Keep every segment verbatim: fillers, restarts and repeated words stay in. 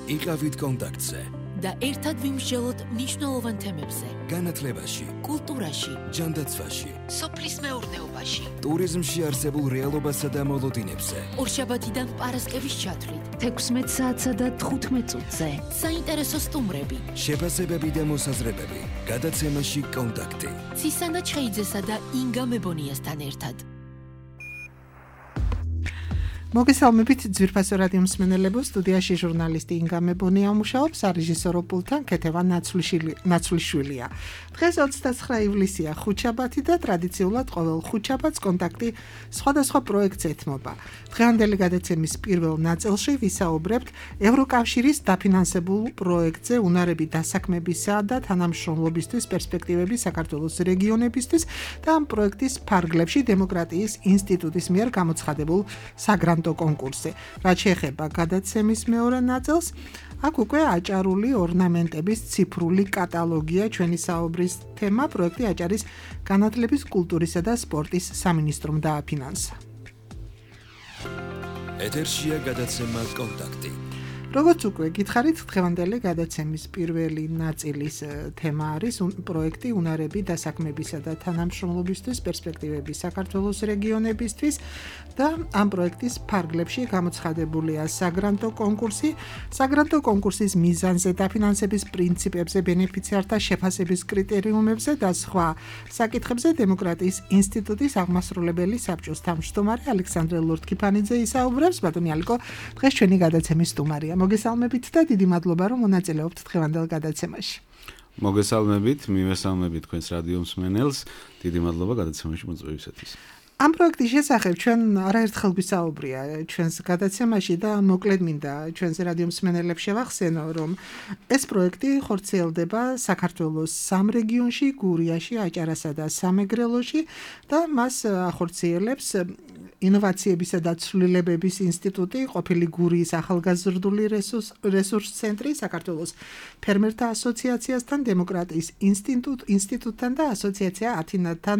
იყავით კონტაქტზე და ერთად ვიმსჯელოთ მნიშვნელოვან თემებზე. განათლებაში, კულტურაში, ჯანდაცვაში, სოფლის მეურნეობაში, ტურიზმში არსებულ რეალობასა და მოლოდინებზე. ორშაბათიდან პარასკევის ჩათვლით, თექვსმეტ საათსა და თხუთმეტ წუთზე. საინტერესო სტუმრები, შეფასებები და მოსაზრებები. გადაცემაში კონტაქტი. ცისანა ჩხეიძესა და ინგა მებონიასთან ერთად. მოგესალმებით ძვირფასო რადიო მსმენელებო, სტუდიაში ჟურნალისტი ინგა მებონია მუშაობს, სარეჟისორო პულტთან ქეთევან ნაცვლიშვილია. დღეს ოცდაცხრა ივლისია, ხუთშაბათი და ტრადიციულად ყოველ ხუთშაბათს კონტაქტი სხვადასხვა პროექტს ეთმობა. დღევანდელი გადაცემის პირველ ნაწილში ვისაუბრებთ ევროკავშირის დაფინანსებულ პროექტზე უნარები დასაქმებისა და თანამშრომლობისთვის პერსპექტივები საქართველოს რეგიონებისთვის და ამ პროექტის ფარგლებში დემოკრატიის ინსტიტუტის მიერ გამოცხადებულ საგრანტო კონკურსზე. რაც შეეხება გადაცემის მეორე ნაწილს, აქ უკვე აჭარული ორნამენტების ციფრული კატალოგია ჩვენი საუბრის თემა. პროექტი აჭარის განათლების, კულტურისა და სპორტის სამინისტრომ დააფინანსა. ეთერშია გადაცემა კონტაქტი. როგორც უკვე გითხარით, დღევანდელი გადაცემის პირველი ნაწილის თემა არის პროექტი უნარები დასაქმებისა და თანამშრომლობისთვის პერსპექტივები საქართველოს რეგიონებისთვის და ამ პროექტის ფარგლებში გამოცხადებულია საგრანტო კონკურსი. საგრანტო კონკურსის მიზანზე, დაფინანსების პრინციპებზე, ბენეფიციართა შეფასების კრიტერიუმებზე და სხვა საკითხებზე დემოკრატიის ინსტიტუტის აღმასრულებელი საბჭოს თავმჯდომარე ალექსანდრე ლორთქიფანიძე ისაუბრებს. ბატონი ალიკო, დღეს ჩვენი გადაცემის სტუმარია. მოგესალმებით და დიდი მადლობა, რომ მონაწილეობთ დღევანდელ გადაცემაში. მოგესალმებით, მივესალმებით თქვენს რადიო მსმენელს. დიდი მადლობა გადაცემაში მოწვევისათვის. ამ პროექტის შესახებ ჩვენ არაერთხელ გვისაუბრია ჩვენს გადაცემაში და მოკლედ მინდა ჩვენს რადიო მსმენელებს შევახსენო, რომ ეს პროექტი ხორციელდება საქართველოს სამ რეგიონში, გურიაში, აჭარასა და სამეგრელოში და მას ახორციელებს ინოვაციებისა და ცვლილებების ინსტიტუტი, ყოფილი გურიის ახალგაზრდული რესურს ცენტრი, საქართველოს ფერმერთა ასოციაციასთან, დემოკრატიის ინსტიტუტთან და ასოციაცია ათინათთან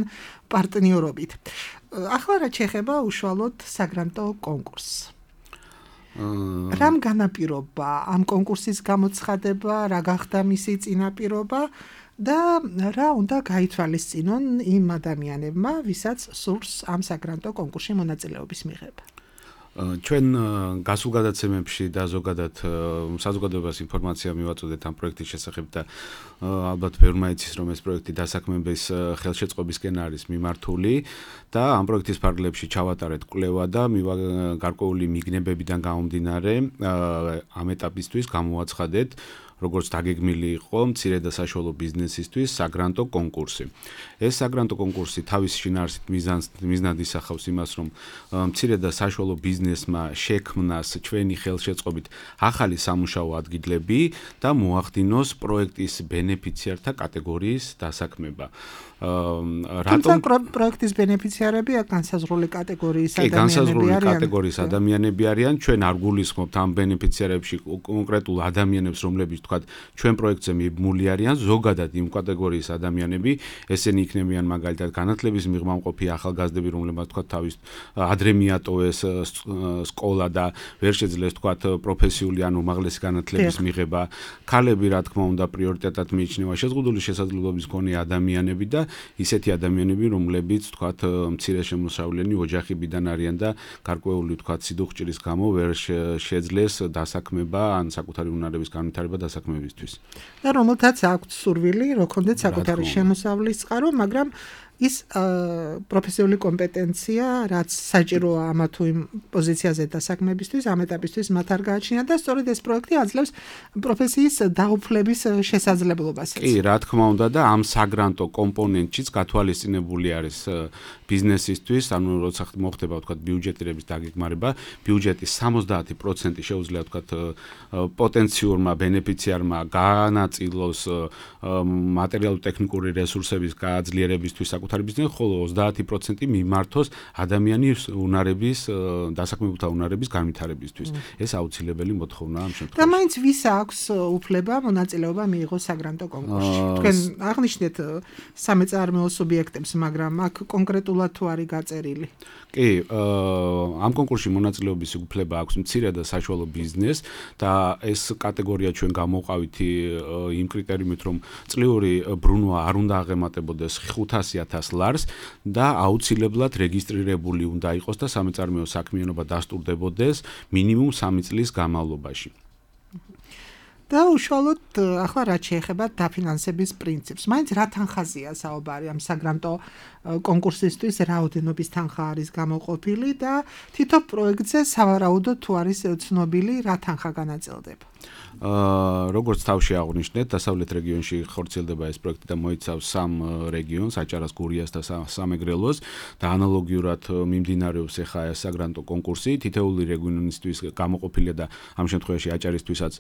პარტნიორობით. ახლა რაც შეეხება უშუალოდ საგრანტო კონკურსს. რამ განაპირობა ამ კონკურსის გამოცხადება, რა გახდა მისი წინაპირობა და რა უნდა გაითვალისწინონ იმ ადამიანებმა, ვისაც სურს ამ საგრანტო კონკურსში მონაწილეობის მიღება. ჩვენ გასულ გადაცემებში და ზოგადად საზოგადოებას ინფორმაცია მივაწოდეთ ამ პროექტის შესახებ და ალბათ ბევრმა იცის, რომ ეს პროექტი დასაქმების ხელშეწყობისკენ არის მიმართული და ამ პროექტის ფარგლებში ჩავატარეთ კვლევა და გარკვეული მიგნებებიდან გამომდინარე ამ ეტაპისთვის გამოვაცხადეთ როგორც დაგეგმილი იყო მცირე და საშუალო ბიზნესისთვის საგრანტო კონკურსი. ეს საგრანტო კონკურსი თავის შინაარსით მიზანს მიზნად ისახავს იმას, რომ მცირე და საშუალო ბიზნესმა შექმნას ჩვენი ხელშეწყობით ახალი სამუშაო ადგილები და მოახდინოს პროექტის ბენეფიციართა კატეგორიის დასაქმება. რატომ პროექტის ბენეფიციარები განსაზღვრული კატეგორიის ადამიანები არიან? განსაზღვრული კატეგორიის ადამიანები არიან. ჩვენ არ გულისხმობთ ამ ბენეფიციარებში კონკრეტულ ადამიანებს, რომლებიც თქვათ ჩვენ პროექტზე მიბმული არიან, ზოგადად იმ კატეგორიის ადამიანები, ესენი იქნებიან მაგალითად განათლების მიღმამყოფი ახალგაზრდები, რომლებმაც თქვათ თავის ადრე მიატოვეს სკოლა და ვერ შეძლეს თქვათ პროფესიული ან უმაღლესი განათლების მიღება. ქალები, რა თქმა უნდა, პრიორიტეტად მიიჩნევა შეზღუდული შესაძლებლობის მქონე ადამიანები და ისეთი ადამიანები, რომლებიც თქვათ მცირე შემოსავლიანი ოჯახებიდან არიან და გარკვეული თქვათ სიდუხჭირის გამო ვერ შეძლეს დასაქმება ან საკუთარი უნარების განვითარება დასაქმებისთვის. და რომელთაც აქვთ სურვილი, რო ქონდეთ საკუთარი შემოსავლის წყარო, მაგრამ ის პროფესიული კომპეტენცია, რაც საჭიროა ამა თუ იმ პოზიციაზე დასაქმებისთვის, ამ ეტაპისთვის მათ არ გააჩნიათ და სწორედ ეს პროექტი აძლევს პროფესიის დაუფლების შესაძლებლობას. კი, რა თქმა უნდა და ამ საგრანტო კომპონენტშიც გათვალისწინებული არის ბიზნესისთვის, ანუ როცა მოხდება თქვათ ბიუჯეტირების დაგეგმარება, ბიუჯეტის სამოცდაათი პროცენტი შეუძლია თქვათ პოტენციურმა ბენეფიციარმა განაწილოს მატერიალურ-ტექნიკური რესურსების გააძლიერებისთვის საკუთარ საკუთარი ბიზნესი, ხოლო ოცდაათი პროცენტი მიმართოს ადამიანის უნარების, დასაქმებულთა უნარების განვითარებისთვის. ეს აუცილებელი მოთხოვნაა ამ შემთხვევაში. და მაინც ვის აქვს უფლება მონაწილეობა მიიღოს საგრანტო კონკურსში? თქვენ აღნიშნეთ სამეწარმეო სუბიექტებს, მაგრამ აქ კონკრეტულად თუ არის გაწერილი? კი, ამ კონკურსში მონაწილეობის უფლება აქვს მცირე და საშუალო ბიზნესს და ეს კატეგორია ჩვენ გამოვყავით იმ კრიტერიუმით, რომ წლიური ბრუნვა არ უნდა აღემატებოდეს ხუთასი ათას ლარს და აუცილებლად რეგისტრირებული უნდა იყოს და სამეწარმეო საქმიანობა დასტურდებოდეს მინიმუმ სამი წლის განმავლობაში. და უშუალოდ ახლა რაც შეეხება დაფინანსების პრინციპს. მაინც რა თანხაზეა საუბარი ამ საგრანტო კონკურსისთვის, რაოდენობის თანხა არის გამოყოფილი და თითო პროექტზე სავარაუდოდ თუ არის ცნობილი რა თანხა განაწილდება. აა როგორც თავში აღვნიშნეთ, დასავლეთ რეგიონში ხორციელდება ეს პროექტი და მოიცავს სამ რეგიონს, აჭარას, გურიას და სამეგრელოს და ანალოგიურად მიმდინარეობს ახლა ეს საგრანტო კონკურსი. თითოეული რეგიონისთვის გამოყოფილია და ამ შემთხვევაში აჭარისთვისაც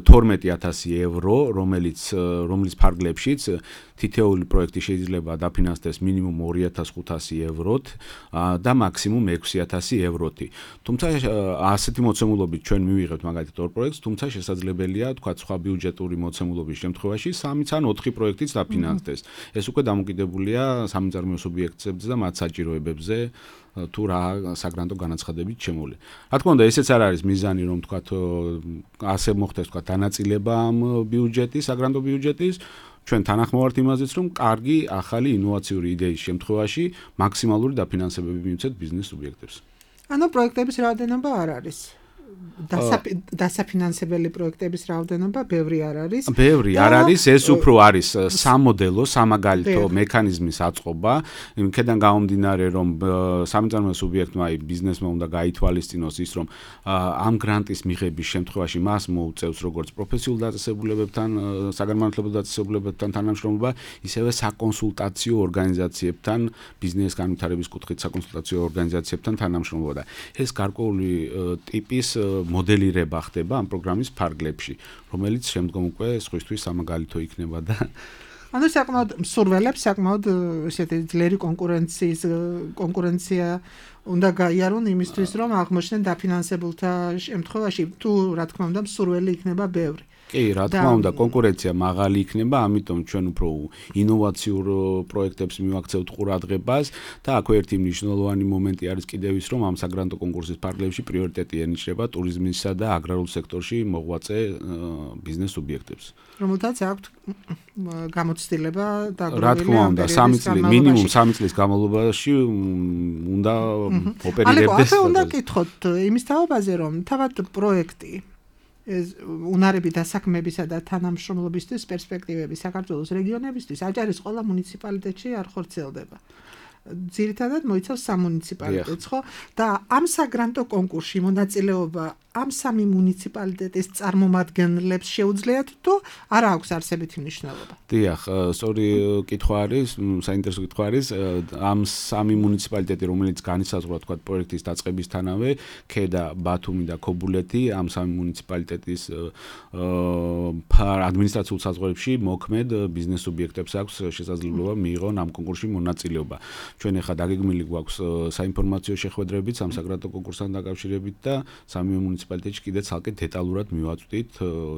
თორმეტი ათასი ევრო, რომელიც რომლის ფარგლებშიც თითოეული პროექტი შეიძლება დაფინანსდეს მინიმუმ ორი ათას ხუთასი ევროთ და მაქსიმუმ ექვსი ათასი ევროთი. თუმცა ასეთი მოცემულობით ჩვენ მივიღებთ მაგალითად ორ პროექტს, თუმცა შესაძლებელია თქვა სხვა ბიუჯეტური მოცემულობის შემთხვევაში სამიც ან ოთხი პროექტიც დაფინანსდეს. ეს უკვე დამოკიდებულია სამეწარმეო სუბიექტებზე და მათ საჭიროებებზე თუ რა საგრანტო განაცხადებით შემოვლი. რა თქმა უნდა, ესეც არ არის მიზანი, რომ თქვა ასე მოხდეს თქვა დანაწილება ამ ბიუჯეტის, საგრანტო ბიუჯეტის. ჩვენ თანახმოვართ იმაზეც, რომ კარგი ახალი ინოვაციური იდეის შემთხვევაში მაქსიმალური დაფინანსებები მივცეთ ბიზნეს სუბიექტებს. ანუ პროექტების რაოდენობა არ არის. დასაფინანსებელი პროექტების რაოდენობა ბევრი არ არის. ბევრი არ არის, ეს უფრო არის სამოდელო, სამაგალითო მექანიზმის აწყობა. იმქედან გამომდინარე, რომ სამეწარმეო სუბიექტმა, აი ბიზნესმა უნდა გაითვალისწინოს ის, რომ ამ გრანტის მიღების შემთხვევაში მას მოუწევს როგორც პროფესიულ დაწესებულებებთან, საგანმანათლებლო დაწესებულებებთან თანამშრომლობა, ისევე საკონსულტაციო ორგანიზაციებთან, ბიზნეს განვითარების კუთხით საკონსულტაციო ორგანიზაციებთან თანამშრომლობა და ეს გარკვეული ტიპის მოდელირება ხდება ამ პროგრამის ფარგლებში, რომელიც შემდგომ უკვე სხვისთვის სამაგალითო იქნება და ანუ საკმაოდ მსურველებს საკმაოდ ესეთი ძლიერი კონკურენციის კონკურენცია უნდა გაიარონ იმისთვის, რომ აღმოჩნდნენ დაფინანსებულთა შემთხვევაში თუ რა თქმა უნდა მსურველი იქნება ბევრი. კი, რა თქმა უნდა, კონკურენცია მაღალი იქნება, ამიტომ ჩვენ უფრო ინოვაციურ პროექტებს მივაქცევთ ყურადღებას და აქვე ერთი მნიშვნელოვანი მომენტი არის კიდევ ის, რომ ამ საგრანტო კონკურსის ფარგლებში პრიორიტეტი ენიჭება ტურიზმისა და აგრარულ სექტორში მოღვაწე ბიზნეს სუბიექტებს. რომელთაც აქვთ გამოცდილება დაგროვილი. რა თქმა უნდა, სამი წელი, მინიმუმ სამი წლის განმავლობაში უნდა ოპერირებდეს. ანუ უნდა კითხოთ იმის თაობაზე, რომ თავად პროექტი ეს უნარები დასაქმებისა და თანამშრომლობისთვის პერსპექტივები საქართველოს რეგიონებისთვის აჭარის ყველა მუნიციპალიტეტში არ ხორციელდება. ძირითადად მოიცავს სამ მუნიციპალიტეტს, ხო? და ამ საგრანტო კონკურსში მონაწილეობა ამ სამი მუნიციპალიტეტის წარმომადგენლებს შეუძლიათ თუ არა აქვს არსებითი მნიშვნელობა? დიახ, სწორი კითხვა არის, საინტერესო კითხვა არის. ამ სამი მუნიციპალიტეტი, რომელიც განისაზღვრა თქვა პროექტის დაწყებისთანავე, ქედა, ბათუმი და ქობულეთი, ამ სამი მუნიციპალიტეტის ადმინისტრაციულ საზღვრებში მოქმედ ბიზნეს სუბიექტებს აქვს შესაძლებლობა მიიღონ ამ კონკურსში მონაწილეობა. ჩვენ ახლა დაგეგმილი გვაქვს საინფორმაციო შეხვედრებიც ამ საგრანტო კონკურსთან დაკავშირებით და სამი მუნიციპალიტეტში კიდე ცალკე დეტალურად მივაწვდით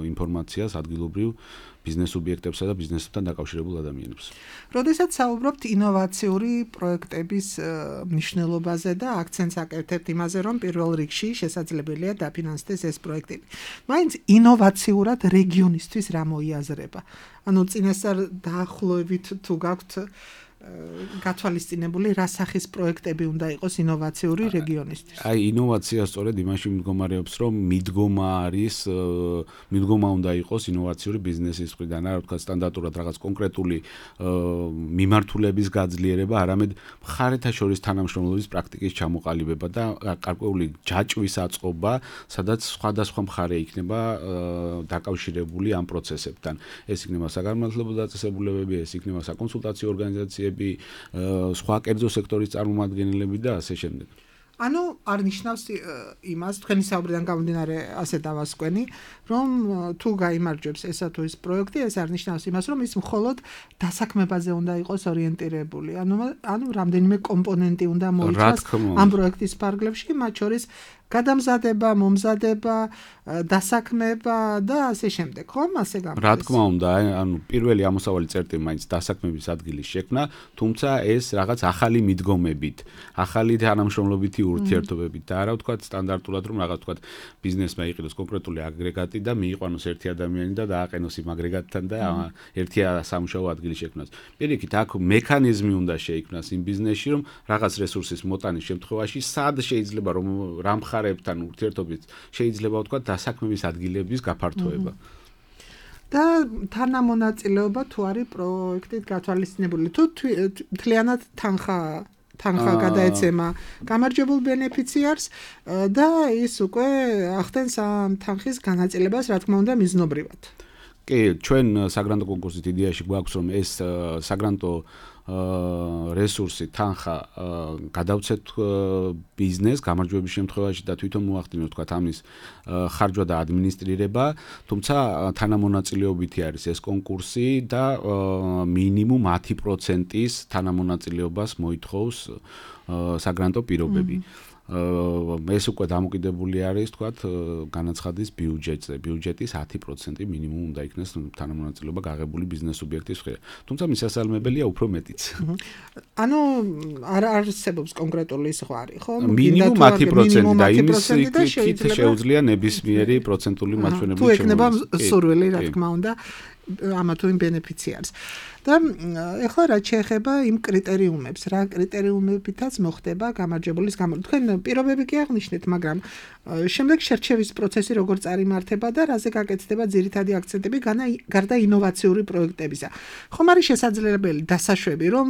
ინფორმაციას ადგილობრივ ბიზნეს სუბიექტებსა და ბიზნესთან დაკავშირებულ ადამიანებს. როდესაც საუბრობთ ინოვაციური პროექტების მნიშვნელობაზე და აქცენტს აკეთებთ იმაზე, რომ პირველ რიგში შესაძლებელია დაფინანსდეს ეს პროექტები. მაინც ინოვაციურად რეგიონისთვის რა მოიაზრება? ანუ წინასწარ დაახლოებით თუ გაქვთ გათვალისწინებული რა სახის პროექტები უნდა იყოს ინოვაციური რეგიონისთვის. აი ინოვაცია სწორედ იმაში მდგომარეობს, რომ მიდგომა არის, მიდგომა უნდა იყოს ინოვაციური ბიზნესის მხრიდან, არა თქვა სტანდარტულად რაღაც კონკრეტული მიმართულების გაძლიერება, არამედ მხარეთა შორის თანამშრომლობის პრაქტიკის ჩამოყალიბება და გარკვეული ჯაჭვის აწყობა, სადაც სხვადასხვა მხარე იქნება დაკავშირებული ამ პროცესებთან. ეს იქნება საგანმანათლებლო დაწესებულებები, ეს იქნება საკონსულტაციო ორგანიზაციები, სხვა კერძო სექტორის წარმომადგენლები და ასე შემდეგ. ანუ არ ნიშნავს იმას, თქვენი საუბრიდან გამომდინარე ასე დავასკვენი, რომ თუ გაიმარჯვებს ესა თუ ის პროექტი, ეს არ ნიშნავს იმას, რომ ის მხოლოდ დასაქმებაზე უნდა იყოს ორიენტირებული. ანუ ანუ რამდენიმე კომპონენტი უნდა მოიცავს ამ პროექტის ფარგლებში, მათ შორის გადამზადება, მომზადება, დასაქმება და ასე შემდეგ, ხომ? ასე გამოდის. რა თქმა უნდა, ანუ პირველი ამოსავალი წერტილი მაინც დასაქმების ადგილის შექმნა, თუმცა ეს რაღაც ახალი მიდგომებით, ახალი თანამშრომლობითი ურთიერთობებით და არა ვთქვათ სტანდარტულად რომ რაღაც ვთქვათ ბიზნესმა იყიდოს კონკრეტული აგრეგატი და მიიყვანოს ერთი ადამიანი და დააყენოს იმ აგრეგატთან და ერთი სამუშაო ადგილის შექმნას. პირიქით, აქ მექანიზმი უნდა შეიქმნას იმ ბიზნესში, რომ რაღაც რესურსის მოტანის შემთხვევაში სად შეიძლება რომ რა მხარებთან ურთიერთობით შეიძლება ვთქვათ დასაქმების ადგილების გაფართოება. და თანამონაწილეობა თუ არის პროექტით გათვალისწინებული, თუ მთლიანად თანხა თანხა გადაეცემა გამარჯვებულ ბენეფიციარს და ის უკვე ახდენს ამ თანხის განაწილებას, რა თქმა უნდა, მიზნობრივად. კი, ჩვენ საგრანტო კონკურსით იდეაში გვაქვს რომ ეს საგრანტო რესურსი თანხა გადავცეთ ბიზნეს გამარჯვების შემთხვევაში და თვითონ მოახდინოს თქვა ამის ხარჯვა და ადმინისტრირება, თუმცა თანამონაწილეობითი არის ეს კონკურსი და მინიმუმ ათი პროცენტის თანამონაწილეობას მოითხოვს საგრანტო პირობები. ეს უკვე დამოკიდებული არის, თქვათ, განაცხადის ბიუჯეტზე. ბიუჯეტის ათი პროცენტი მინიმუმ უნდა იქნეს თანამონაწილეობა გაღებული ბიზნეს სუბიექტის მხრიდან. თუმცა მისასალმებელია უფრო მეტიც. ანუ არ არსებობს კონკრეტული ზღვარი, ხო? მინიმუმ ათი პროცენტი და იმის იქით შეუძლია ნებისმიერი პროცენტული მაჩვენებლით თუ ეკნება სურვილი, რა თქმა უნდა, ამა თუ იმ ბენეფიციარს. და ეხლა რაც შეეხება იმ კრიტერიუმებს, რა კრიტერიუმებითაც მოხდება გამარჯვებულის გამარჯვება. თქვენ პირობები კი აღნიშნეთ, მაგრამ შემდეგ შერჩევის პროცესი როგორ წარიმართება და რაზე გაკეთდება ძირითადი აქცენტები გარდა ინოვაციური პროექტებისა. ხომ არის შესაძლებელი დასაშვები, რომ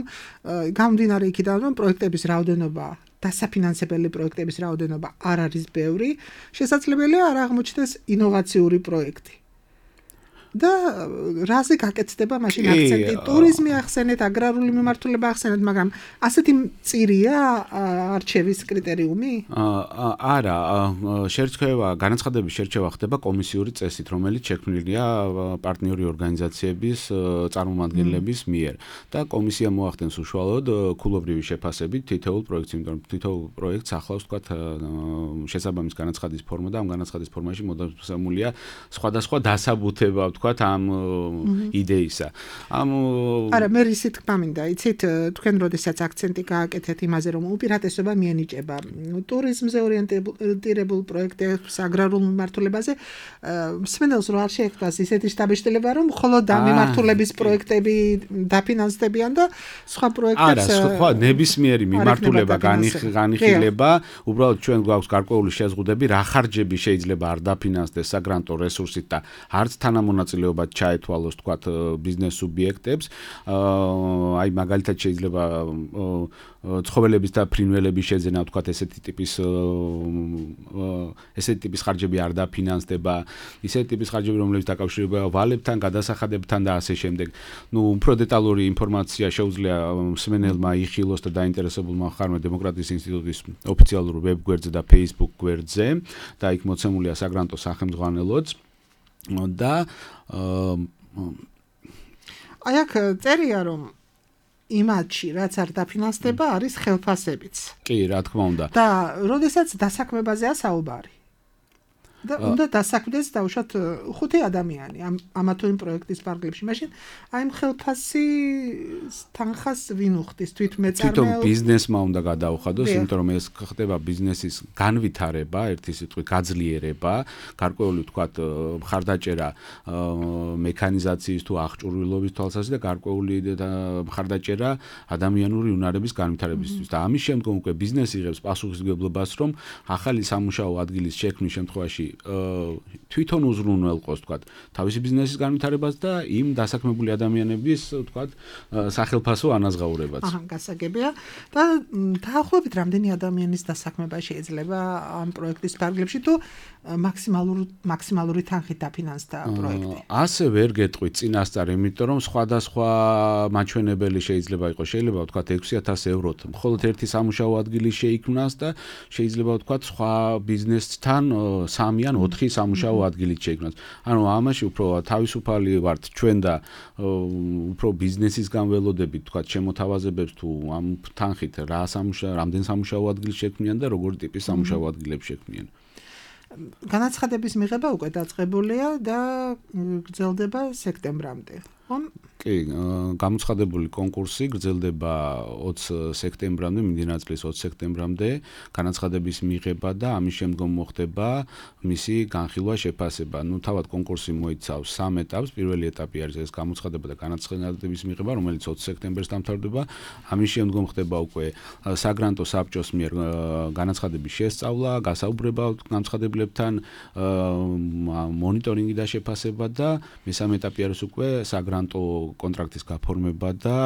გამომდინარე იქიდან, რომ პროექტების რაოდენობა დასაფინანსებელი პროექტების რაოდენობა არ არის ბევრი, შესაძლებელია არ აღმოჩნდეს ინოვაციური პროექტი. და რაზე გაკეთდება მაშინ აქცენტი? ტურიზმი ახსენეთ, აგრარული მიმართულება ახსენეთ, მაგრამ ასეთი მწირია არჩევის კრიტერიუმი? არა, შერჩევა, განაცხადების შერჩევა ხდება კომისიური წესით, რომელიც შექმნილია პარტნიორი ორგანიზაციების წარმომადგენლების მიერ და კომისია მოახდენს უშუალოდ ქულობრივი შეფასებით თითოეულ პროექტს, იმიტომ რომ თითოეულ პროექტს ახლავს თქვათ შესაბამის განაცხადის ფორმა და ამ განაცხადის ფორმაში მოდასამულია სხვადასხვა დასაბუთება თქვათ ამ იდეისა. ამ არა, მე რისი თქმა მინდა, იცით, თქვენ როდესაც აქცენტი გააკეთეთ იმაზე, რომ უპირატესობა მიენიჭება ტურიზმზე ორიენტირებულ პროექტებს, აგრარულ მიმართულებაზე, მსმენელს რო არ შეექმნას ისეთი შთაბეჭდილება, რომ მხოლოდ ამ მიმართულების პროექტები დაფინანსდებიან და სხვა პროექტებს არა, სხვა ნებისმიერი მიმართულება განიხილება, უბრალოდ ჩვენ გვაქვს გარკვეული შეზღუდები, რა ხარჯები შეიძლება არ დაფინანსდეს საგრანტო რესურსით და არც თანამონაწილეობა ჩაეთვალოს თქვათ ბიზნეს სუბიექტებს. აი მაგალითად შეიძლება ცხოველების და ფრინველების შეძენა თქვათ ესეთი ტიპის ესეთი ტიპის ხარჯები არ დაფინანსდება, ისეთი ტიპის ხარჯები რომლებიც დაკავშირებულია ვალებთან, გადასახადებთან და ასე შემდეგ. ნუ უფრო დეტალური ინფორმაცია შეუძლია მსმენელმა იხილოს და დაინტერესებულმა ხარმა დემოკრატიის ინსტიტუტის ოფიციალურ ვებ გვერდზე და Facebook გვერდზე და იქ მოცემულია საგრანტო სახელმძღვანელოც. და აი აქ წერია რომ იმათში რაც არ დაფინანსდება არის ხელფასებიც. კი, რა თქმა უნდა. და როდესაც დასაქმებაზეა საუბარი. და უნდა დასაქმდეს დაუშვათ ხუთი ადამიანი ამ ამა თუ იმ პროექტის ფარგლებში. მაშინ აი ხელფასი თანხას ვინ უხდის თვითმეწარმეო? თვითონ ბიზნესმა უნდა გადაუხადოს, იმიტომ რომ ეს ხდება ბიზნესის განვითარება, ერთი სიტყვით გაძლიერება, გარკვეული თქვათ მხარდაჭერა მექანიზაციის თუ აღჭურვილობის თვალსაზრისით და გარკვეული მხარდაჭერა ადამიანური უნარების განვითარებისთვის. და ამის შემდგომ უკვე ბიზნესი იღებს პასუხისმგებლობას, რომ ახალი სამუშაო ადგილის შექმნის შემთხვევაში თვითონ უზრუნველყოს, თქვათ, თავისი ბიზნესის განვითარებას და იმ დასაქმებული ადამიანების, თქვათ, სახელფასო ანაზღაურებას. აჰა, გასაგებია. და დაახლოებით რამდენი ადამიანის დასაქმება შეიძლება ამ პროექტის ფარგლებში თუ მაქსიმალური მაქსიმალური თანხით დაფინანსდა პროექტი? ასე ვერ გეტყვით წინასწარ, იმიტომ რომ სხვადასხვა მაჩვენებელი შეიძლება იყოს. შეიძლება ვთქვათ ექვსი ათას ევროთ. მხოლოდ ერთი სამუშაო ადგილი შეიქმნას და შეიძლება ვთქვათ სხვა ბიზნესთან სამი ან ოთხი სამუშაო ადგილით შეიქმნას. ანუ ამაში უფრო თავისუფალი ვართ ჩვენ და უფრო ბიზნესის განველოდებით, ვთქვათ, შემოთავაზებებს თუ ამ თანხით რა სამუშაო, რამდენ სამუშაო ადგილს შექმნიან და როგორი ტიპის სამუშაო ადგილებს შექმნიან. განაცხადების მიღება უკვე დაწყებულია და გრძელდება სექტემბრამდე. კი, გამოცხადებული კონკურსი გრძელდება ოცი სექტემბრამდე, მიმდინარე წლის ოცი სექტემბრამდე, განაცხადების მიღება და ამის შემდგომ მოხდება მისი განხილვა, შეფასება. ნუ თავად კონკურსი მოიცავს სამ ეტაპს. პირველი ეტაპი არის ეს გამოცხადება და განაცხადების მიღება, რომელიც ოცი სექტემბერს დამთავრდება. ამის შემდგომ ხდება უკვე საგრანტო საბჭოს მიერ განაცხადების შესწავლა, გასაუბრება განაცხადებლებთან, მონიტორინგი და შეფასება და მესამე ეტაპი არის უკვე საგრანტო კონტრაქტის გაფორმება და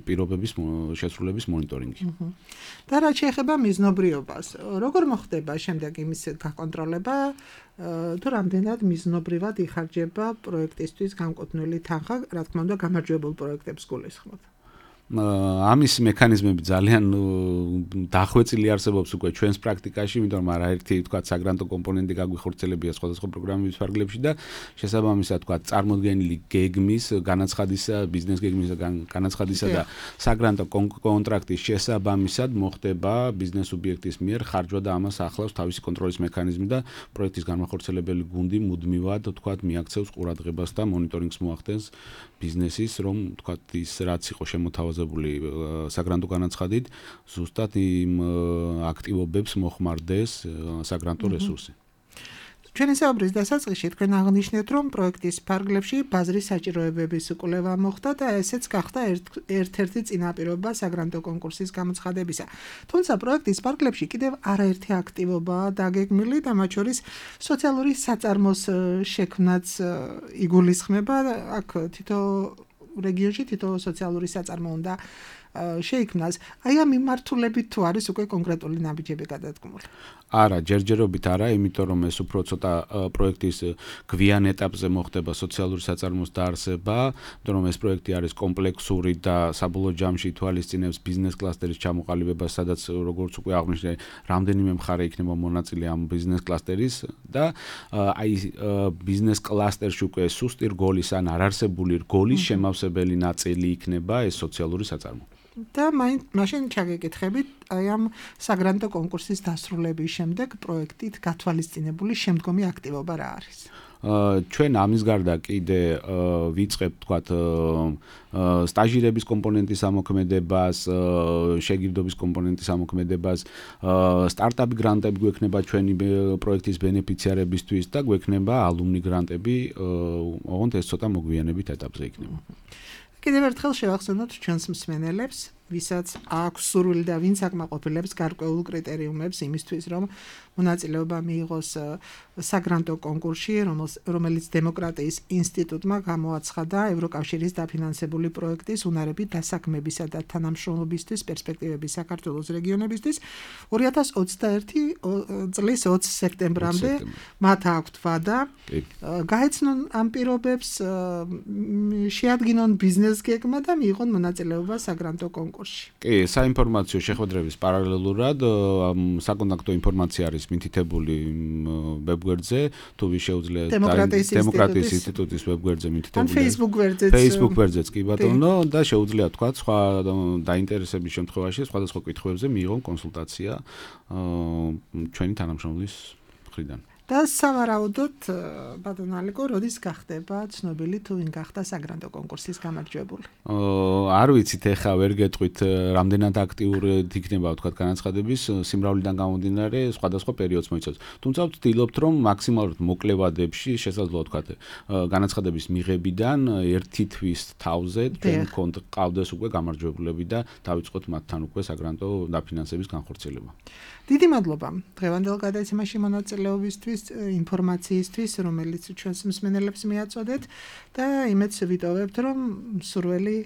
პირობების შესრულების მონიტორინგი. და რაც შეეხება მიზნობრიობას, როგორ მოხდება შემდეგ იმის გაკონტროლება, თუ რამდენად მიზნობრივად იხარჯება პროექტისთვის განკუთვნილი თანხა, რა თქმა უნდა, გამარჯვებულ პროექტებს გულისხმობ. ამის მექანიზმები ძალიან დახვეწილი არსებობს უკვე ჩვენს პრაქტიკაში, იმიტომ რომ არაერთი თქვა საგრანტო კომპონენტი გაგვიხორციელებია სხვადასხვა პროგრამების ფარგლებში და შესაბამისად თქვა წარმოდგენილი გეგმის, განაცხადისა, ბიზნეს გეგმის განაცხადისა და საგრანტო კონტრაქტის შესაბამისად მოხდება ბიზნეს სუბიექტის მიერ ხარჯვა და ამას ახლავს თავისი კონტროლის მექანიზმი და პროექტის განმახორციელებელი გუნდი მუდმივად თქვა მიაქცევს ყურადღებას და მონიტორინგს მოახდენს ბიზნესის, რომ თქვა ის რაც იყო შემოთავაზებული საგრანტო განაცხადით, ზუსტად იმ აქტივობებს მოხმარდეს საგრანტო რესურსი. ჩვენი საუბრის დასაწყისში თქვენ აღნიშნეთ, რომ პროექტის ფარგლებში ბაზრის საჭიროებების კვლევა მოხდა და ესეც გახდა ერთ-ერთი წინაპირობა საგრანტო კონკურსის გამოცხადებისა. თუმცა პროექტის ფარგლებში კიდევ არაერთი აქტივობაა დაგეგმილი და მათ შორის სოციალური საწარმოს შექმნაც იგულისხმება. აქ თითო რეგიონში თითო სოციალური საწარმო უნდა შეიქმნას. აი ამ მიმართულებით თუ არის უკვე კონკრეტული ნაბიჯები გადადგმული? არა, ჯერჯერობით არა, იმიტომ რომ ეს უფრო ცოტა პროექტის გვიან ეტაპზე მოხდება სოციალური საწარმოს დაარსება, იმიტომ რომ ეს პროექტი არის კომპლექსური და საბოლოო ჯამში ითვალისწინებს ბიზნეს კლასტერის ჩამოყალიბებას, სადაც როგორც უკვე აღნიშნე, რამდენიმე მხარე იქნება მონაწილე ამ ბიზნეს კლასტერის და აი ბიზნეს კლასტერში უკვე სუსტი რგოლის ან არარსებული რგოლის შემავსებელი ნაწილი იქნება ეს სოციალური საწარმო. და მაშინ ჩაგეკითხებით აი ამ საგრანტო კონკურსის დასრულების შემდეგ პროექტით გათვალისწინებული შემდგომი აქტივობა რა არის? ჩვენ ამის გარდა კიდე ვიწყებთ თქვათ სტაჟირების კომპონენტის ამოქმედებას, შეგირდობის კომპონენტის ამოქმედებას, სტარტაპ გრანტები გვექნება ჩვენი პროექტის ბენეფიციარებისთვის და გვექნება ალუმნი გრანტები, ოღონდ ეს ცოტა მოგვიანებით ეტაპზე იქნება. კიდევ ერთხელ შევახსენოთ ჩვენს მსმენელებს, ვისაც აქვს სურვილი და ვინც აკმაყოფილებს გარკვეულ კრიტერიუმებს იმისთვის, რომ მონაწილეობა მიიღოს საგრანტო კონკურსში, რომელიც დემოკრატიის ინსტიტუტმა გამოაცხადა ევროკავშირის დაფინანსებული პროექტის უნარების დასაქმებისა და თანამშრომლობისთვის პერსპექტივების საქართველოს რეგიონებისთვის ორი ათას ოცდაერთი წლის ოცი სექტემბრამდე მათ აქვთ ვადა გაეცნონ ამ პირობებს, შეადგინონ ბიზნეს გეგმა და მიიღონ მონაწილეობა საგრანტო კონკურსში. კი, საინფორმაციო შეხვედრების პარალელურად საკონტაქტო ინფორმაცია არის მითითებული ვებგვერდზე, თუ ვის შეუძლია დემოკრატიის ინსტიტუტის ვებგვერდზე მითითებული. ან Facebook გვერდზეც. Facebook გვერდზეც კი ბატონო და შეუძლია თქვა სხვა დაინტერესების შემთხვევაში სხვადასხვა კითხვებზე მიიღონ კონსულტაცია ჩვენი თანამშრომლის მხრიდან. და სავარაუდოდ ბატონ ალეკო, როდის გახდება ცნობილი თუ ვინ გახდა საგრანტო კონკურსის გამარჯვებული? არ ვიცით, ეხა ვერ გეტყვით რამდენად აქტიური იქნება თქვა განაცხადების სიმრავლიდან გამომდინარე სხვადასხვა პერიოდს მოიცავს. თუმცა ვცდილობთ რომ მაქსიმალურად მოკლე ვადებში შესაძლოა თქვა განაცხადების მიღებიდან ერთი თვის თავზე ჩვენ გყავდეს უკვე გამარჯვებულები და დავიწყოთ მათთან უკვე საგრანტო დაფინანსების განხორციელება. დიდი მადლობა დღევანდელ გადაცემაში მონაწილეობისთვის. პროექტის ინფორმაციისთვის, რომელიც ჩვენს მსმენელებს მიაწოდეთ და იმედს ვიტოვებთ, რომ სურველი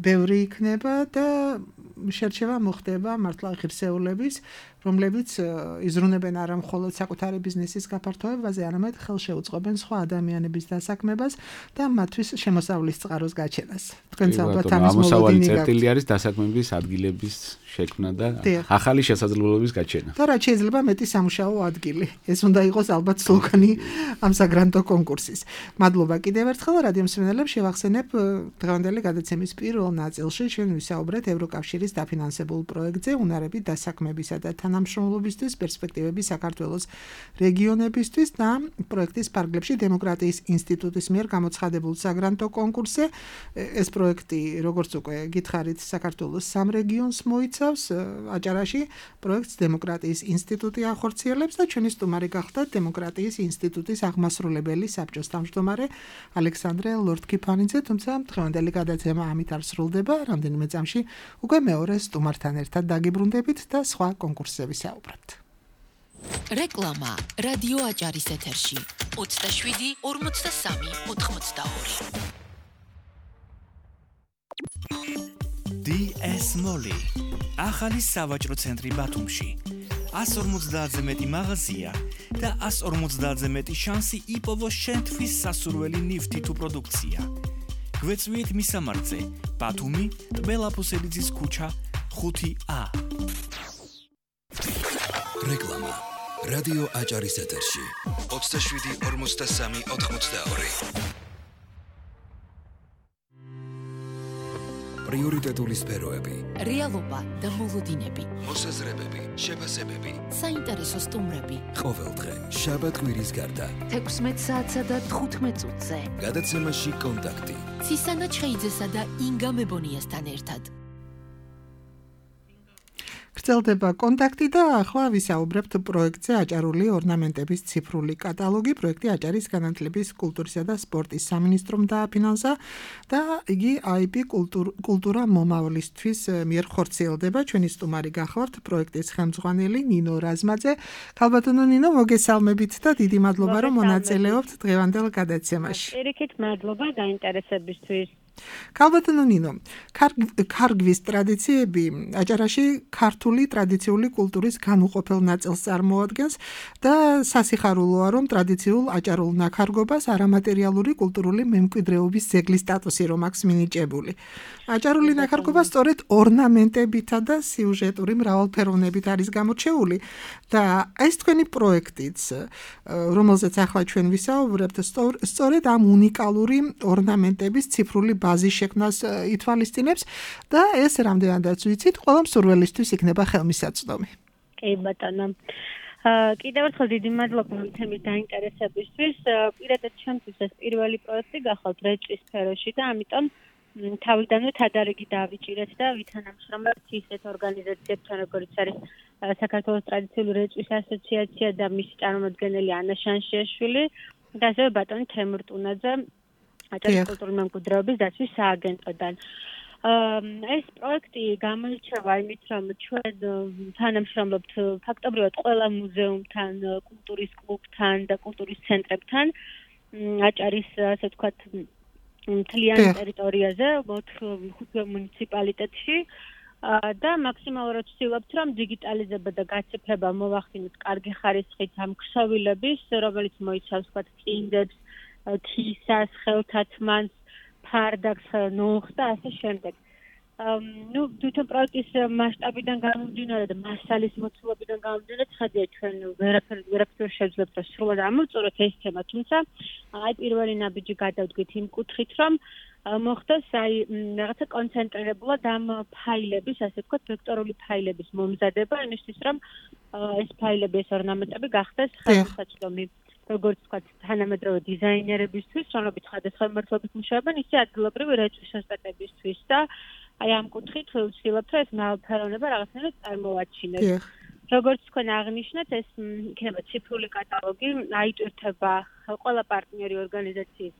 ბევრი იქნება და შერჩევა მოხდება მართლა ღირსეულების, რომლებიც იზრუნებენ არა მხოლოდ საკუთარი ბიზნესის გაფართოებაზე, არამედ ხელშეუწყობენ სხვა ადამიანების დასაქმებას და მათთვის შემოსავლის წყაროს გაჩენას. თქვენც ალბათ ამის ამოსავალი მოლოდინი წერტილი არის დასაქმების ადგილების შექმნა და დიახ. ახალი შესაძლებლობების გაჩენა. და რაც შეიძლება მეტი სამუშაო ადგილი. ეს უნდა იყოს ალბათ სლოგანი ამ საგრანტო კონკურსის. მადლობა კიდევ ერთხელ რადიო მსმენელებს, შევახსენებ დღევანდელი გადაცემის პირველ ნაწილში ჩვენ ვისაუბრეთ ევროკავშირის დაფინანსებულ პროექტზე უნარები დასაქმებისა და თანამშრომლობისთვის, პერსპექტივები საქართველოს რეგიონებისთვის და პროექტის ფარგლებში დემოკრატიის ინსტიტუტის მიერ გამოცხადებულ საგრანტო კონკურსზე. ეს პროექტი, როგორც უკვე გითხარით, საქართველოს სამ რეგიონს მოიცავს. აჭარაში პროექტს დემოკრატიის ინსტიტუტი ახორციელებს და ჩვენი სტუმარი გახდა დემოკრატიის ინსტიტუტის აღმასრულებელი საბჭოს თავმჯდომარე ალექსანდრე ლორთქიფანიძე, თუმცა დღევანდელი გადაცემა ამით არ სრულდება. რამდენიმე წამში უკვე მეორე სტუმართან ერთად დაგიბრუნდებით და სხვა კონკურსზე ვისაუბრებთ. რეკლამა რადიო აჭარის ეთერში ოცდაშვიდი ორმოცდასამი ოთხმოცდაორი. დი ეს Mall ახალი სავაჭრო ცენტრი ბათუმში. ას ორმოცდაათზე მეტი მაღაზია და ას ორმოცდაათზე მეტი შანსი იპოვოს შენთვის სასურველი ნივთი თუ პროდუქცია. გვეწვიეთ მისამართზე ბათუმი, ტბელაფოსელიძის ქუჩა ხუთი ა. რეკლამა რადიო აჭარის ეთერში ოცდაშვიდი ორმოცდასამი ოთხმოცდაორი. პრიორიტეტული სფეროები, რეალობა და მოლოდინები, მოსაზრებები, შეფასებები, საინტერესო სტუმრები. ყოველდღე შაბათ-კვირის გარდა თექვსმეტ საათსა და თხუთმეტ წუთზე. გადაცემაში კონტაქტი. ცისანა ჩხეიძესა და ინგა მებონიასთან ერთად. გრძელდება კონტაქტი და ახლა ვისაუბრებთ პროექტზე აჭარული ორნამენტების ციფრული კატალოგი. პროექტი აჭარის განათლების, კულტურისა და სპორტის სამინისტრომ დააფინანსა და იგი აი პი კულტურა მომავლისთვის მიერ ხორციელდება. ჩვენი სტუმარი გახლავთ პროექტის ხელმძღვანელი ნინო რაზმაძე. ქალბატონო ნინო, მოგესალმებით და დიდი მადლობა რომ მონაწილეობთ დღევანდელ გადაცემაში. ერიქით მადლობა დაინტერესებისთვის. ქალბატონო ნინო, ქარგვის ტრადიციები აჭარაში ქართული ტრადიციული კულტურის განუყოფელ ნაწილს წარმოადგენს და სასიხარულოა, რომ ტრადიციულ აჭარულ ნაქარგობას არამატერიალური კულტურული მემკვიდრეობის ძეგლის სტატუსი რომ აქვს მინიჭებული. აჭარული ნაქარგობა სწორედ ორნამენტებითა და სიუჟეტური მრავალფეროვნებით არის გამორჩეული და ეს თქვენი პროექტიც, რომელზეც ახლა ჩვენ ვისაუბრებთ, სწორედ ამ უნიკალური ორნამენტების ციფრული ბაზის შექმნას ითვალისწინებს და ეს რამდენადაც ვიცით, ყველა მსურველისთვის იქნება ხელმისაწვდომი. კი ბატონო. კიდევ ერთხელ დიდი მადლობა თემის დაინტერესებისთვის. პირადად ჩემთვის ეს პირველი პროექტი გახლავთ რეჭის სფეროში და ამიტომ თავიდანვე თადარიგი დავიჭირეთ და ვითანამშრომლებთ ისეთ ორგანიზაციებთან, როგორც არის საქართველოს ტრადიციული რეჭის ასოციაცია და მისი წარმომადგენელი ანა შანშიაშვილი და ასევე ბატონი თემურ ტუნაძე აჭარის კულტურული მემკვიდრეობის დაცვის სააგენტოდან. ეს პროექტი გამოირჩევა იმით, რომ ჩვენ თანამშრომლობთ ფაქტობრივად ყველა მუზეუმთან, კულტურის კლუბთან და კულტურის ცენტრებთან აჭარის, ასე ვთქვათ, მთლიან ტერიტორიაზე, ხუთი მუნიციპალიტეტში და მაქსიმალურად ვცდილობთ, რომ დიგიტალიზება და გაციფრება მოვახდინოთ კარგი ხარისხით ამ ქსოვილების, რომელიც მოიცავს, ვთქვათ, წინდებს, თისას, ხელთათმანს, ფარდაკს, ნოხს და ასე შემდეგ. ნუ თვითონ პროექტის მასშტაბიდან გამომდინარე და მასალის მოცულობიდან გამომდინარე, ხედავთ ჩვენ ვერაფერ ვერაფერ შეძლებთ და სრულად ამოვწუროთ ეს თემა, თუმცა აი პირველი ნაბიჯი გადავდგით იმ კუთხით, რომ მოხდეს აი რაღაცა კონცენტრირებულად ამ ფაილების, ასე ვთქვათ, ვექტორული ფაილების მომზადება, იმისთვის რომ ეს ფაილები, ეს ორნამენტები გახდეს ხელმისაწვდომი. როგორც ვთქვათ, თანამედროვე დიზაინერებისთვის, რომლებიც სხვადასხვა მიმართულებით მუშაობენ, ისე ადგილობრივი რეჭის ოსტატებისთვის და აი ამ კუთხით ვცდილობთ, რომ ეს მრავალფეროვნება რაღაცნაირად წარმოვაჩინოთ. როგორც თქვენ აღნიშნეთ, ეს იქნება ციფრული კატალოგი, აიტვირთება ყველა პარტნიორი ორგანიზაციის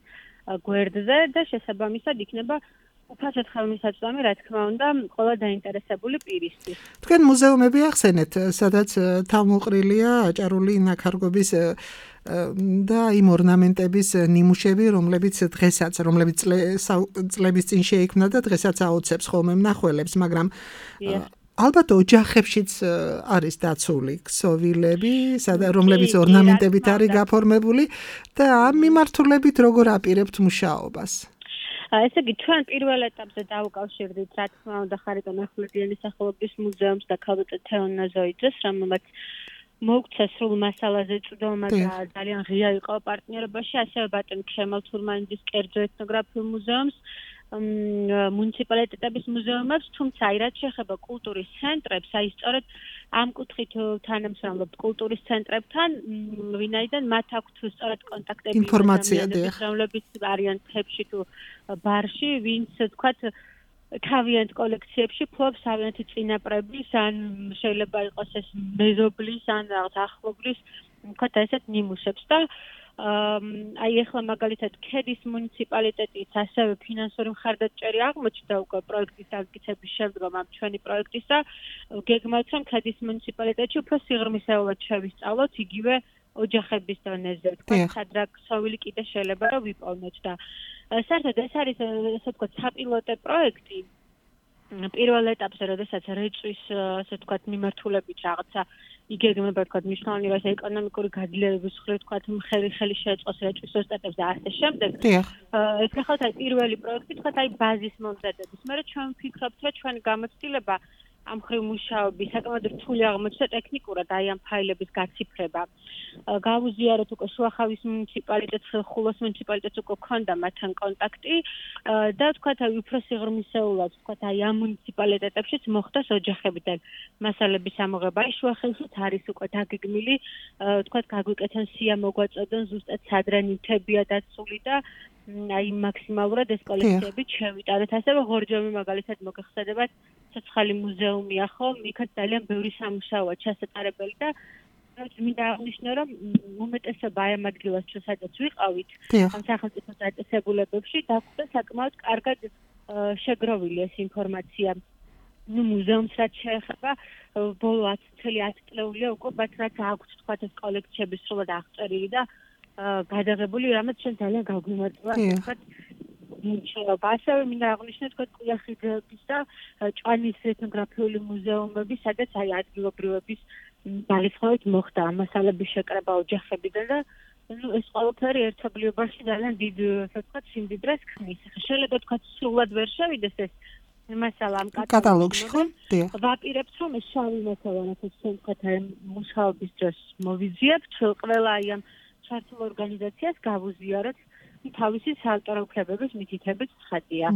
გვერდზე და შესაბამისად იქნება უფასოდ ხელმისაწვდომი, რა თქმა უნდა, ყველა დაინტერესებული პირისთვის. თქვენ მუზეუმები ახსენეთ, სადაც თავმოყრილია აჭარული ნაქარგობის და იმ ორნამენტების ნიმუშები, რომლებიც დღესაც, რომლებიც წლების წინ შეიქმნა და დღესაც აოცებს ხოლმე მნახველებს, მაგრამ ალბათ ოჯახებშიც არის დაცული ქსოვილები, რომლებიც ორნამენტებით არის გაფორმებული და ამ მიმართულებით როგორ აპირებთ მუშაობას? ესე იგი, ჩვენ პირველ ეტაპზე დავუკავშირდით, რა თქმა უნდა, ხარიტონ ახვლედიანის სახელობის მუზეუმს და ქალბატონ თეონ ნაზოიძეს, რომელმაც მოგვცა სრულ მასალაზე წვდომა და ძალიან ღია იყო პარტნიორობაში, ასევე ბატონ ქემალ თურმანიძის კერძო ეთნოგრაფიულ მუზეუმს, მუნიციპალიტეტების მუზეუმებს, თუმცა აი რაც შეეხება კულტურის ცენტრებს, აი სწორედ ამ კუთხით თანამშრომლობთ კულტურის ცენტრებთან, ვინაიდან მათ აქვთ სწორედ კონტაქტები ინფორმაცია, რომლებიც არიან თებში თუ ბარში, ვინც თქვათ თავიანთ კოლექციებში ფლობს თავიანთი წინაპრების, ან შეიძლება იყოს ეს მეზობლის, ან რაღაც ახლობლის, თქვათ ესეთ ნიმუშებს და აი ახლა მაგალითად ქედის მუნიციპალიტეტის ასევე ფინანსური მხარდაჭერი აღმოჩნდა უკვე პროექტის დამტკიცების შემდგომ ამ ჩვენი პროექტის და გეგმავთ რომ ქედის მუნიციპალიტეტში უფრო სიღრმისეულად შევისწავლოთ იგივე ოჯახების დონეზე თქვა სადრა ქსოვილი კიდე შეიძლება რომ ვიპოვნოთ და საერთოდ ეს არის ასე ვთქვათ საპილოტე პროექტი პირველ ეტაპზე როდესაც რეწვის ასე ვთქვათ მიმართულებით რაღაცა იგეგმება თქვათ მნიშვნელოვანი რას ეკონომიკური გაძლიერების მხრივ თქვათ ხელი ხელი შეეწყოს რეწვის ოსტატებს და ასე შემდეგ. ეს ახლა აი პირველი პროექტი თქვათ აი ბაზის მომზადების. მე ჩვენ ვფიქრობთ რომ ჩვენი გამოცდილება ამ ხრივ მუშაობის საკმაოდ რთული აღმოჩნდა ტექნიკურად აი ამ ფაილების გაციფრება. გავუზიაროთ უკვე შუახავის მუნიციპალიტეტს, ხულოს მუნიციპალიტეტს უკვე ქონდა მათთან კონტაქტი და თქვათ აი უფრო სიღრმისეულად თქვათ აი ამ მუნიციპალიტეტებშიც მოხდას ოჯახებიდან მასალების ამოღება. აი შუახევშიც არის უკვე დაგეგმილი თქვათ გაგვიკეთენ სია მოგვაწოდონ ზუსტად სადრა ნივთებია დაცული და აი მაქსიმალურად ეს კოლექციები შევიტანოთ. ასევე ღორჯომი მაგალითად მოგეხსენებათ ცოცხალი მუზეუმია ხო, იქაც ძალიან ბევრი სამუშაოა ჩასატარებელი და მინდა აღნიშნო რომ უმეტესობა აი ამ ადგილას ჩვენ სადაც ვიყავით ამ სახელმწიფო დაწესებულებებში დაგვხვდა საკმაოდ კარგად შეგროვილი ეს ინფორმაცია. ნუ მუზეუმს რაც შეეხება ბოლო ათი წლეულია უკვე მათ რაც აქვთ თქვათ ეს კოლექციები სრულად აღწერილი და გადაღებული, რამაც ჩვენ ძალიან გავგვიმარჯვა თქვათ მუშაობა. ასევე მინდა აღნიშნო თქვათ ყიახიდების და ჭვანის ეთნოგრაფიული მუზეუმები, სადაც აი ადგილობრივების ძალისხმევით მოხდა ამ მასალების შეკრება ოჯახებიდან და ნუ ეს ყველაფერი ერთობლიობაში ძალიან დიდ ასე ვთქვათ სიმდიდრეს ქმნის. შეიძლება თქვათ სრულად ვერ შევიდეს ეს მასალა ამ კატალოგში ხო? ვაპირებთ რომ ეს შავი მასალა რასაც ჩვენ თქვათ აი მუშაობის დროს მოვიზიებთ ყველა აი ამ ჩართულ ორგანიზაციას გავუზიაროთ თავისი საავტორო უფლებების მითითებით ცხადია.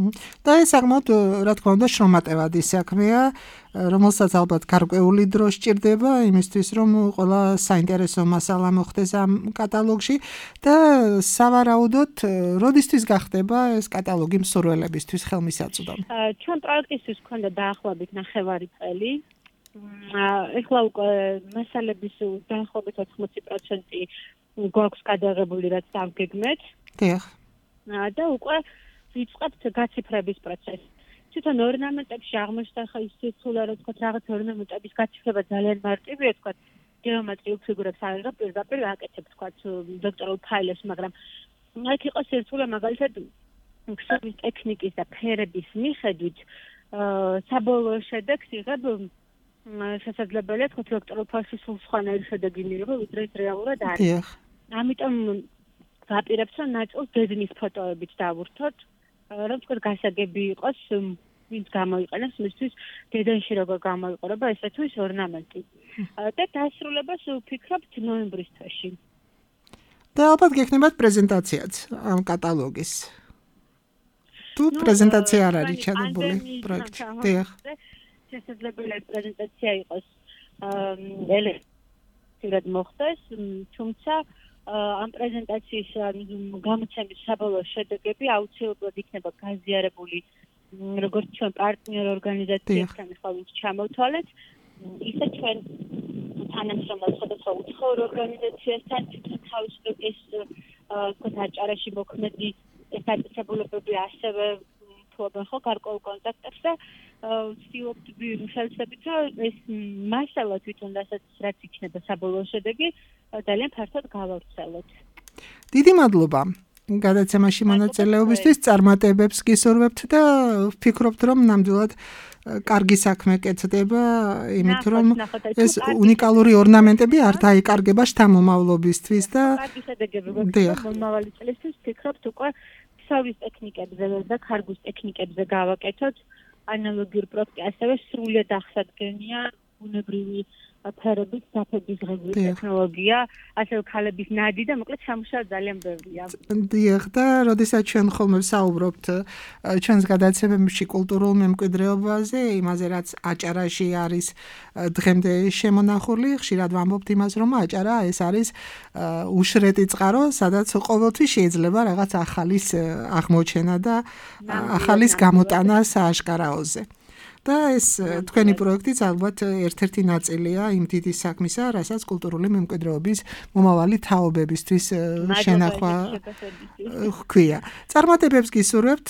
და ეს საკმაოდ რა თქმა უნდა შრომატევადი საქმეა, რომელსაც ალბათ გარკვეული დრო სჭირდება იმისთვის, რომ ყველა საინტერესო მასალა მოხდეს ამ კატალოგში და სავარაუდოდ როდისთვის გახდება ეს კატალოგი მსურველებისთვის ხელმისაწვდომი? ჩვენ პროექტისთვის გვქონდა დაახლოებით ნახევარი წელი. ეხლა უკვე მასალების დაახლოებით ოთხმოცი პროცენტი გვაქვს გადაღებული, რაც დავგეგმეთ. დიახ. და უკვე ვიწყებთ გაციფრების პროცესს. თვითონ ორნამენტებში აღმოჩნდა ხა ის სიცოცხლე, რომ თქვა რაღაც ორნამენტების გაციფრება ძალიან მარტივია, თქვა გეომეტრიულ ფიგურებს აღიღებ პირდაპირ აკეთებ, თქვა ვექტორულ ფაილებს, მაგრამ აქ იყო სიცოცხლე მაგალითად ქსოვის ტექნიკის და ფერების მიხედვით საბოლოო შედეგს იღებ შესაძლებელია თქვა ვექტორულ ფაილში სულ სხვანაირი შედეგი მიიღო, ვიდრე ის რეალურად არის. დიახ. ამიტომ ვაპირებთ რომ ნაწილს დედნის ფოტოებით დავურთოთ, რომ თქვა გასაგები იყოს, ვინც გამოიყენებს მისთვის დედანში როგორ გამოიყურება ესე თუ ის ორნამენტი. და დასრულებას ვფიქრობთ ნოემბრის თვეში. და ალბათ გექნებათ პრეზენტაციაც ამ კატალოგის. თუ პრეზენტაცია არ არის ჩადებული პროექტში. დიახ. შესაძლებელია პრეზენტაცია იყოს ელექტრონულად მოხდეს, თუმცა ამ პრეზენტაციის გამოცემის საბოლოო შედეგები აუცილებლად იქნება გაზიარებული როგორც ჩვენ პარტნიორ ორგანიზაციებთან ახლა ვინც ჩამოვთვალეთ, ისე ჩვენ თანამშრომლობთ სხვადასხვა უცხოურ ორგანიზაციასთან, თვითონ თავისუფლების ეს აჭარაში მოქმედი ეს დაწესებულებები ასევე ფლობენ ხო გარკვეულ კონტაქტებს და ვცდილობთ შევცდებით რომ ეს მასალა თვითონ რასაც რაც იქნება საბოლოო შედეგი ძალიან ფართოდ გავავრცელოთ. დიდი მადლობა გადაცემაში მონაწილეობისთვის, წარმატებებს გისურვებთ და ვფიქრობთ რომ ნამდვილად კარგი საქმე კეთდება, იმით რომ ეს უნიკალური ორნამენტები არ დაიკარგება შთამომავლობისთვის და კარგი შედეგები გვაქვს მომავალი წლისთვის ვფიქრობთ უკვე ქსოვის ტექნიკებზე და ქარგვის ტექნიკებზე გავაკეთოთ ანალოგიური პროექტი, ასევე სრულად აღსადგენია ბუნებრივი ფერების საფების ღებული ტექნოლოგია, ასევე ქალების ნადი და მოკლედ სამუშაო ძალიან ბევრია. დიახ და როდესაც ჩვენ ხოლმე ვსაუბრობთ ჩვენს გადაცემებში კულტურულ მემკვიდრეობაზე, იმაზე რაც აჭარაში არის დღემდე შემონახული, ხშირად ვამბობთ იმას, რომ აჭარა ეს არის უშრეტი წყარო, სადაც ყოველთვის შეიძლება რაღაც ახალის აღმოჩენა და ახალის გამოტანა სააშკარაოზე. და ეს თქვენი პროექტიც ალბათ ერთ-ერთი ნაწილია იმ დიდი საქმისა, რასაც კულტურული მემკვიდრეობის მომავალი თაობებისთვის შენახვა ჰქვია. წარმატებებს გისურვებთ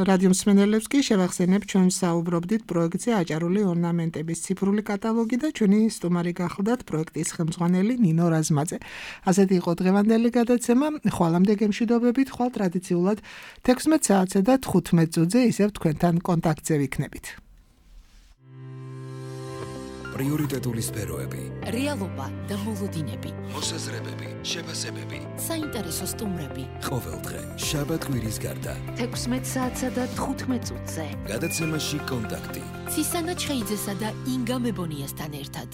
რადიო მსმენელებს კი შევახსენებ ჩვენ საუბრობდით პროექტზე აჭარული ორნამენტების ციფრული კატალოგი და ჩვენი სტუმარი გახლდათ პროექტის ხელმძღვანელი ნინო რაზმაძე. ასეთი იყო დღევანდელი გადაცემა, ხვალამდე გემშვიდობებით, ხვალ ტრადიციულად თექვსმეტ საათზე და თხუთმეტ წუთზე ისევ თქვენთან კონტაქტზე ვიქნებით. პრიორიტეტული სფეროები, რეალობა და მოლოდინები, მოსაზრებები, შეფასებები, საინტერესო სტუმრები. ყოველდღე შაბათ კვირის გარდა თექვსმეტ საათსა და თხუთმეტ წუთზე. გადაცემაში კონტაქტი. ცისანა ჩხეიძესა და ინგა მებონიასთან ერთად.